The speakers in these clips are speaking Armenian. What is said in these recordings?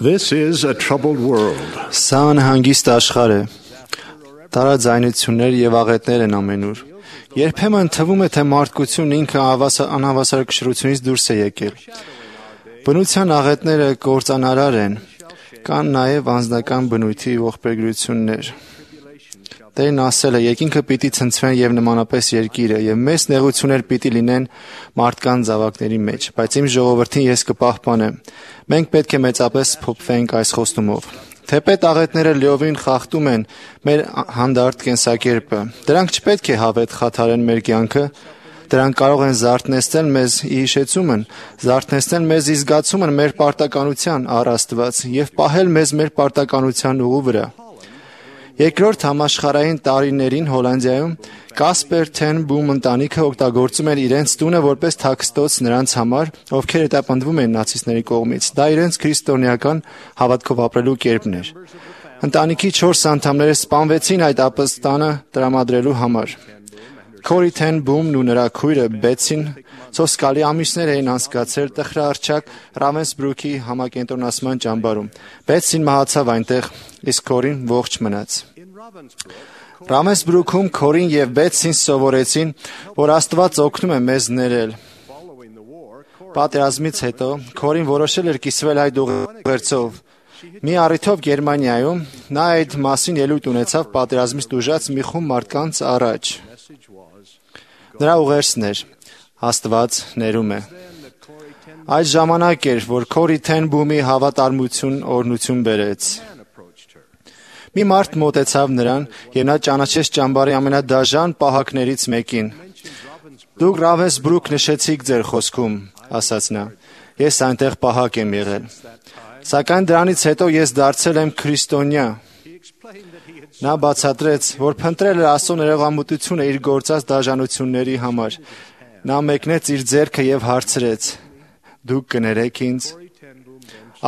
This is a troubled world. Սա անհանգիստ աշխարհ է։ Տարաձայնություններ եւ աղետներ են ամենուր։ Երբեմն թվում է, թե մարդկությունն ինքը անհավասարակշռությունից դուրս է եկել։ Բնության աղետները կործանարար են, կան նաև անձնական բնույթի ողբերգություններ։ Տերն ասել է, երկինքը պիտի ցնցվեն եւ նմանապես երկիրը, եւ մեծ նեղություններ պիտի լինեն մարդկան զավակների մեջ, բայց իմ ժողովրդին ես կպահպանեմ։ Մենք պետք է մեծապես փոփվենք այս խոստումով։ Թեպետ աղետները լիովին խախտում են մեր հանդարտ կենսակերպը, դրանք չպետք է հավետ խաթարեն մեր կյանքը, դրանք կարող են զարթնեցնել մեզ հիշեցումն, զարթնեցնել մեզ զգացումն մեր պարտականության առ Աստված եւ պահել մեզ մեր պարտականության ուղու վրա։ Երկրորդ համաշխարհային տարիներին Հոլանդիայում Կասպեր Թեն Բում ընտանիքը օգտագործում էր իրենց տունը որպես թաքստոց նրանց համար, ովքեր հետապնդվում էին նացիստների կողմից։ Դա իրենց քրիստոնեական հավատքով ապրելու կերպն էր։ Ընտանիքի 4 անդամները սպանվեցին այդ ապստանը տրամադրելու համար։ Քորի Թեն Բումն ու նրա քույրը Բեցին սոսկալի ամիսներ էին անցկացրել տխրահռչակ Ռավենսբրուքի համակենտրոնացման ճամբարում։ Բեցին մահացավ այնտեղ, իսկ Քորին ողջ մնաց։ Ռավենսբրուքում Քորին եւ Բեցին սովորեցին, որ Աստված օգնում է մեզ ներել։ Պատերազմից հետո Քորին որոշել էր կիսվել այդ ուղերձով։ Մի առիթով Գերմանիայում նա այդ մասին ելույթ ունեցավ պատերազմից տուժած մի խումբ մարդկանց առաջ։ Նրա ուղերձն էր. Աստված ներում է։ Այդ ժամանակ էր, որ Քորի Թեն Բումի հավատարմություն օրհնություն բերեց։ Մի մարդ մոտեցավ նրան եւ նա ճանաչեց ճամբարի ամենադաժան պահակներից մեկին։ Դուք Ռավենսբրուք նշեցիք ձեր խոսքում, ասաց նա։ Ես այնտեղ պահակ եմ եղել։ Սակայն դրանից հետո ես դարձել եմ քրիստոնյա։ Նա բացատրեց, որ փնտրել էր Աստծո ներողամտությունը իր գործած դաժանությունների համար։ Նա մեկնեց իր ձեռքը եւ հարցրեց. Դուք կներեք ինձ։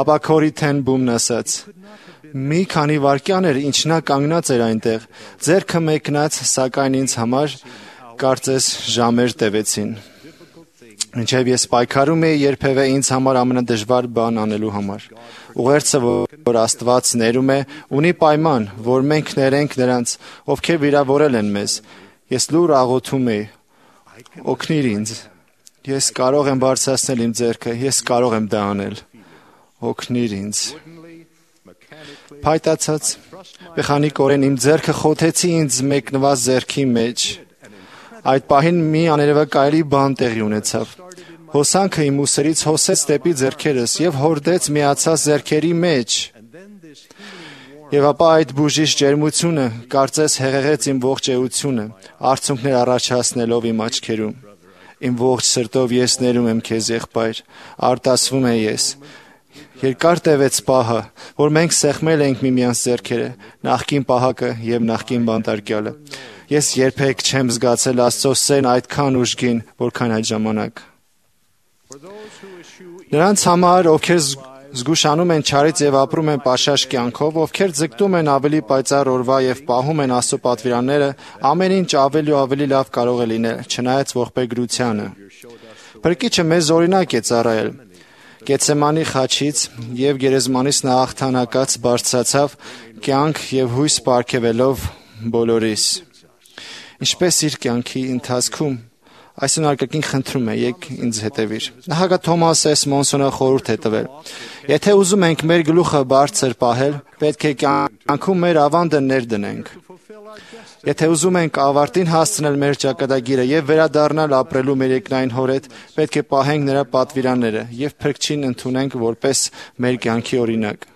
Ապա Քորի Թեն Բումն ասաց. Մի քանի վայրկյան էր, ինչ նա կանգնած էր այնտեղ, ձեռքը մեկնած, սակայն ինձ համար կարծես ժամեր տևեցին։ Մինչև ես պայքարում էի երբևէ ինձ համար ամենադժվար բան անելու համար։ Ուղերձը, որ Աստված ներում է, ունի պայման, որ մենք ներենք նրանց, ովքեր վիրավորել են մեզ։ Ես լուր աղոթում էի. Օգնիր ինձ։ Ես կարող եմ բարձրացնել իմ ձեռքը, ես կարող եմ դա անել։ Օգնիր ինձ։ Փայտացած մեխանիկորեն իմ ձեռքը խոթեցի ինձ մեկնված ձեռքի մեջ։ Այդ պահին մի աներևակայելի բան տեղի ունեցավ։ Հոսանքը իմ ուսերից հոսեց դեպի ձեռքերս եւ հորդեց միացած ձեռքերի մեջ։ Եվ ապա այդ բուժիչ ջերմությունը կարծես հեղեղեց իմ ողջ էությունը, արցունքներ առաջացնելով իմ աչքերում։ Իմ ողջ սրտով ես ներում եմ քեզ, եղբայր, արտասվում եմ ես։ Երկար տևեց պահը, որ մենք սեղմել ենք միմյանց ձեռքերը, նախկին պահակը եւ նախկին բանտարկյալը։ Ես երբեք չեմ զգացել Աստծո սերն այդքան ուժգին, որքան այդ ժամանակ։ Նրանց համար, ովքեր զգուշանում են չարից եւ ապրում են պաշաշ կյանքով, ովքեր ձգտում են ավելի պայծառ օրվա եւ պահում են Աստծո պատվիրանները, ամեն ինչ ավելի ու ավելի լավ կարող է լինել, չնայած ողբերգությանը։ Փրկիչը մեզ օրինակ է ծառայել։ Գեթսեմանի խաչից եւ գերեզմանից նա հաղթանակած բարձրացավ կյանք եւ հույս պարգևելով բոլորիս։ Ինչպես իր կյանքի ընթացքում այսօր արկակին խնդրում է, եք ինձ հետևիր։ Նախագահ Թոմաս Էս Մոնսոնը խորհուրդ է տվել. Եթե ուզում ենք մեր գլուխը բարձր պահել, պետք է կյանքում մեր ավանդը ներդնենք։ Եթե ուզում ենք ավարտին հասցնել մեր ճակատագիրը եւ վերադառնալ ապրելու մեր երկնային հոր հետ, պետք է պահենք նրա պատվիրանները եւ Փրկչին ընդունենք որպես մեր կյանքի օրինակ։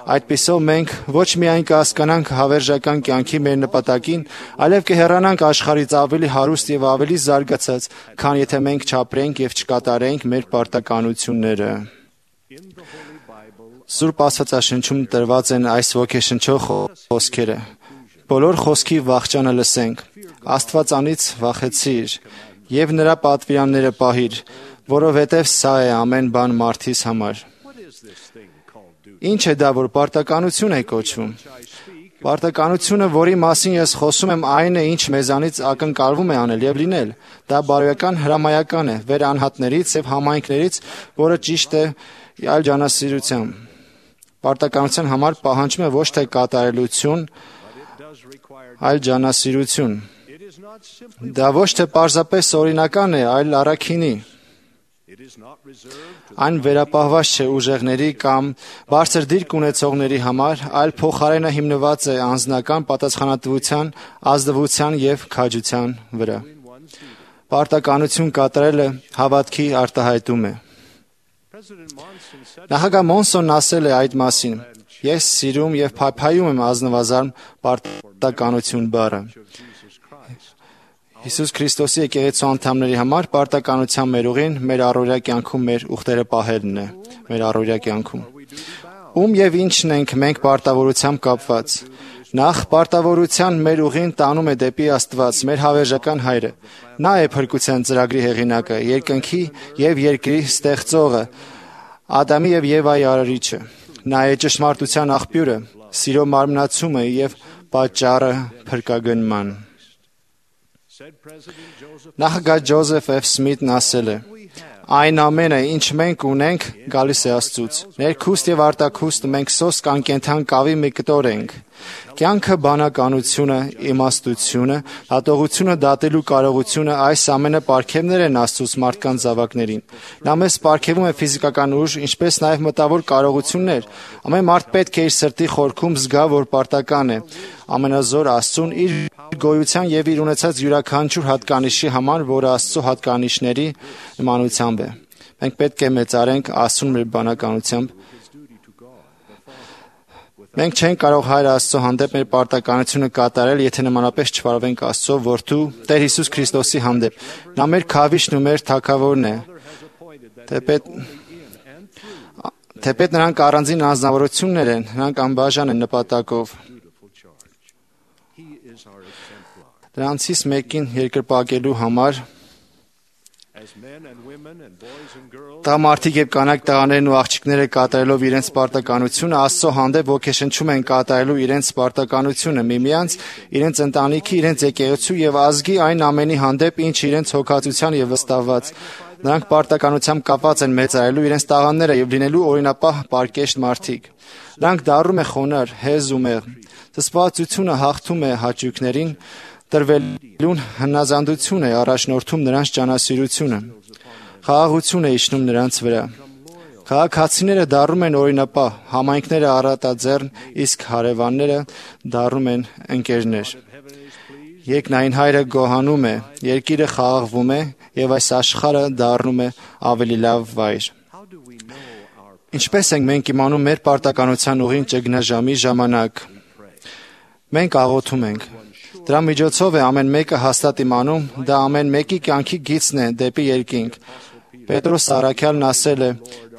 Այդպիսով մենք ոչ միայն կհասկանանք հավերժական կյանքի մեր նպատակին, այլև կհեռանանք աշխարհից ավելի հարուստ եւ ավելի զարգացած, քան եթե մենք չապրենք եւ չկատարենք մեր պարտականությունները։ Սուրբ Աստվածաշնչում տրված են այս ոգեշնչող խոսքերը. Բոլոր խոսքի վախճանը լսենք, Աստվածանից վախեցիր եւ նրա պատվիրանները պահիր, որովհետեւ սա է ամեն բան մարդիս համար։ Ինչ է դա, որ պարտականություն է կոչվում։ Պարտականությունը, որի մասին ես խոսում եմ, այն է, ինչ մեզանից ակնկալվում է անել եւ լինել։ Դա բարոյական հրամայական է վեր անհատներից եւ համայնքներից, որը ճիշտ է այլ ջանասիրությամբ։ Պարտականության համար պահանջում է ոչ թե կատարելություն, այլ ջանասիրություն։ Դա ոչ թե պարզապես օրինական է, այլ առաքինի։ Այն վերապահված չէ ուժեղների կամ բարձր դիրք ունեցողների համար, այլ փոխարենը հիմնված է անձնական պատասխանատվության, ազնվության և քաջության վրա։ Պարտականություն կատարելը հավատքի արտահայտում է։ Նախագահ Մոնսոնն ասել է այդ մասին. «Ես սիրում և փայփայում եմ ազնվազարմ պարտականություն բառը»։ Հիսուս Քրիստոսի եկեղեցու անդամների համար պարտականության մեր ուղին մեր առօրյա կյանքում մեր ուխտերը պահելն է, մեր առօրյա կյանքում։ Ում և ինչն ենք մենք պարտավորությամբ կապված։ Նախ պարտավորության մեր ուղին տանում է դեպի Աստված, մեր հավերժական Հայրը։ Նա է փրկության ծրագրի հեղինակը, երկնքի և երկրի ստեղծողը, Ադամի և Եվայի արարիչը։ Նա է ճշմարտության աղբյուրը, սիրո մարմնացումը և պատճառը փրկագնման։ Նախագահ Ջոզեֆ F. Սմիթն ասել է. «Այն ամենը, ինչ մենք ունենք, գալիս է Աստծուց։ Ներքուստ և արտաքուստ մենք սոսկ անկենդան կավի մի կտոր ենք։ Կյանքը, բանականությունը, իմաստությունը, հատողությունը դատելու կարողությունը, այս ամենը պարգևներ են Աստծուց մարդկանց զավակներին։ Նա մեզ պարգևում է ֆիզիկական ուժ, ինչպես նաև մտավոր կարողություններ։ Ամեն մարդ պետք է իր սրտի խորքում զգա, որ պարտական է ամենազոր Աստծուն իր գոյության և իր ունեցած յուրաքանչյուր հատկանիշի համար, որը Աստծո հատկանիշների նմանությամբ է։ Մենք պետք է մեծարենք Աստծուն մեր բանականությամբ։ Մենք չենք կարող Հայր Աստծո հանդեպ մեր պարտականությունը կատարել, եթե նմանապես չվարվենք Աստծո որդու Տեր Հիսուս Քրիստոսի հանդեպ։ Նա մեր քավիչն ու մեր թագավորն է։ Թեպետ նրանք առանձին անձնավորություններ են, նրանք անբաժան են նպատակով։ Դրանցից մեկին երկրպագելու համար տղամարդիկ և կանայք տղաներն ու աղջիկները կատարելով իրենց պարտականությունը Աստծո հանդեպ ոգեշնչում են կատարելու իրենց պարտականությունը միմյանց, իրենց ընտանիքի, իրենց եկեղեցու և ազգի այն ամենի հանդեպ, ինչ իրենց հոգացության և վստահված։ Նրանք պարտականությամբ կապված են մեծարելու իրենց տաղանդները և լինելու օրինապահ պարկեշտ մարդիկ։ Նրանք դառնում է խոնարհ, հեզ ու մեղմ։ Զսպվածությունը հաղթում է հաճույքներին, տրվելուն հնազանդություն է առաջնորդում նրանց ջանասիրությունը։ Խաղաղություն է իջնում նրանց վրա։ Քաղաքացիները դառնում են օրինապահ, համայնքները առատաձեռն, իսկ հարևանները դառնում են ընկերներ։ Երկնային Հայրը գոհանում է, երկիրը խաղաղվում է և այս աշխարհը դառնում է ավելի լավ վայր։ Ինչպես ենք մենք իմանում մեր պարտականության ուղին ճգնաժամի ժամանակ։ Մենք աղոթում ենք։ Դրա միջոցով է ամեն մեկը հաստատ իմանում, դա ամեն մեկի կյանքի գիծն է դեպի երկինք։ Պետրոս առաքյալն ասել է.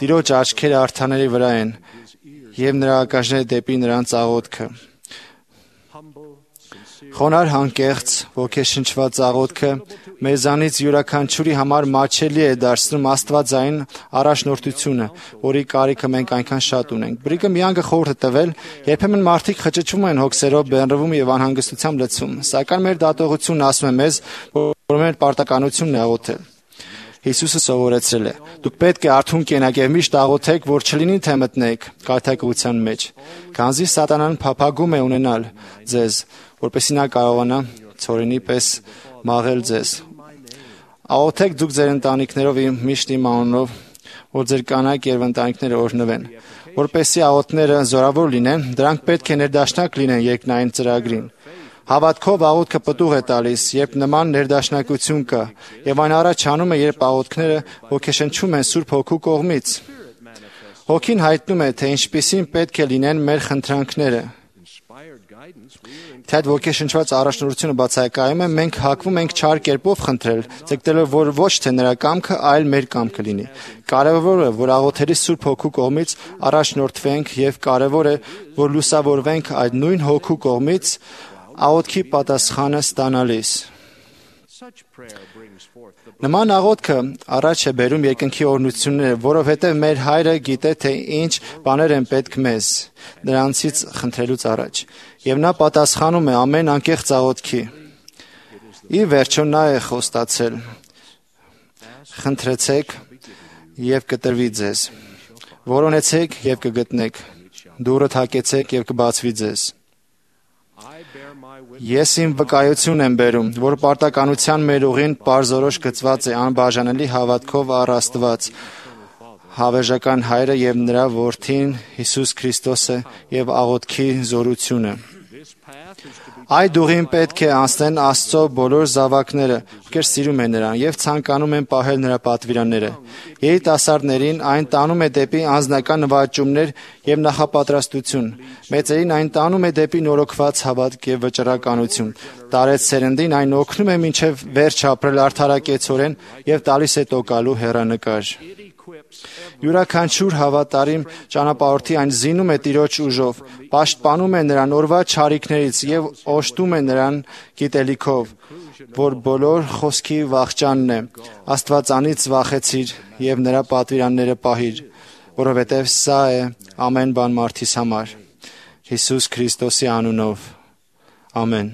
«Տիրոջ աչքերը արդարների վրա են, և նրա ականջները դեպի նրանց աղոթքը»։ Խոնարհ անկեղծ, ոգեշնչված աղոթքը մեզանից յուրաքանչյուրի համար մատչելի է դարձնում աստվածային առաջնորդությունը, որի կարիքը մենք այնքան շատ ունենք։ Բրիգհամ Յանգը խորհուրդ է տվել. երբեմն մարդիկ խճճվում են հոգսերով, բեղմրվում և անհանգստությամբ լցվում, սակայն մեր դատողությունն ասում է մեզ, որ մեր պարտականությունն է աղոթել։ Հիսուսը սովորեցրել է. «Դուք պետք է արթուն կենաք և միշտ աղոթեք, որ չլինի թե մտնեք կայթակղության մեջ, քանզի սատանան փափագում է ունենալ ձեզ, որպեսզի նա կարողանա ցորենի պես մաղել ձեզ։ Աղոթեք դուք ձեր ընտանիքներով միշտ իմ անունով, որ ձեր կանայք և ընտանիքները օրհնվեն, որպեսզի աղոթքները զորավոր լինեն, դրանք պետք է ներդաշնակ լինեն երկնային ծրագրին։ Հավատքով աղոթքը պտուղ է տալիս, երբ նման ներդաշնակություն կա, եւ այն առաջանում է, երբ աղոթքները ոգեշնչում են Սուրբ Հոգու կողմից։ Հոգին հայտնում է, թե ինչպիսին պետք է լինեն մեր խնդրանքները։ Թե այդ ոգեշնչված առաջնորդությունը բացակայում է, մենք հակվում ենք չար կերպով խնդրել, ձգտելով, որ ոչ թե նրա կամքը, այլ մեր կամքը լինի։ Կարևորը, որ աղոթելի Սուրբ Հոգու կողմից առաջնորդվենք եւ կարևոր է, որ լուսավորվենք այդ նույն Հոգու կողմից աղոթքի պատասխանը ստանալիս։ Նման աղոթքը առաջ է բերում երկնքի օրհնությունները, որովհետև մեր Հայրը գիտե, թե ինչ բաներ են պետք մեզ նրանցից խնդրելուց առաջ, եւ նա պատասխանում է ամեն անկեղծ աղոթքի։ Ի վերջո նա է խոստացել. «Խնդրեցեք եւ կտրվի ձեզ, որոնեցեք եւ կգտնեք, դուռը թակեցեք եւ կբացվի ձեզ։ Ես իմ վկայություն եմ բերում, որ պարտականության մեր ուղին պարզորոշ գծված է անբաժանելի հավատքով առ Աստված, հավերժական Հայրը եւ նրա Որդին Հիսուս Քրիստոսը եւ աղոթքի զորությունը։ Այդ ուղին պետք է անցնեն Աստծո բոլոր զավակները, ովքեր սիրում են նրան եւ ցանկանում են պահել նրա պատվիրանները։ Երիտասարդներին այն տանում է դեպի անձնական նվաճումներ եւ նախապատրաստություն։ Մեծերին այն տանում է դեպի նորոգված հավատք եւ վճռականություն։ Տարեց սերնդին այն օգնում է մինչեւ վերջ ապրել արդարակեցորեն եւ տալիս է տոկալու հեռանկար։ Յուրաքանչյուր հավատարիմ ճանապարհորդի այն զինում է Տիրոջ ուժով, պաշտպանում է նրան օրվա չարիքներից եւ օժտում է նրան գիտելիքով, որ բոլոր խոսքի վախճանն է։ Աստվածանից վախեցիր եւ նրա պատվիրանները պահիր, որովհետեւ սա է ամեն բան մարդիս համար։ Հիսուս Քրիստոսի անունով։ Ամեն։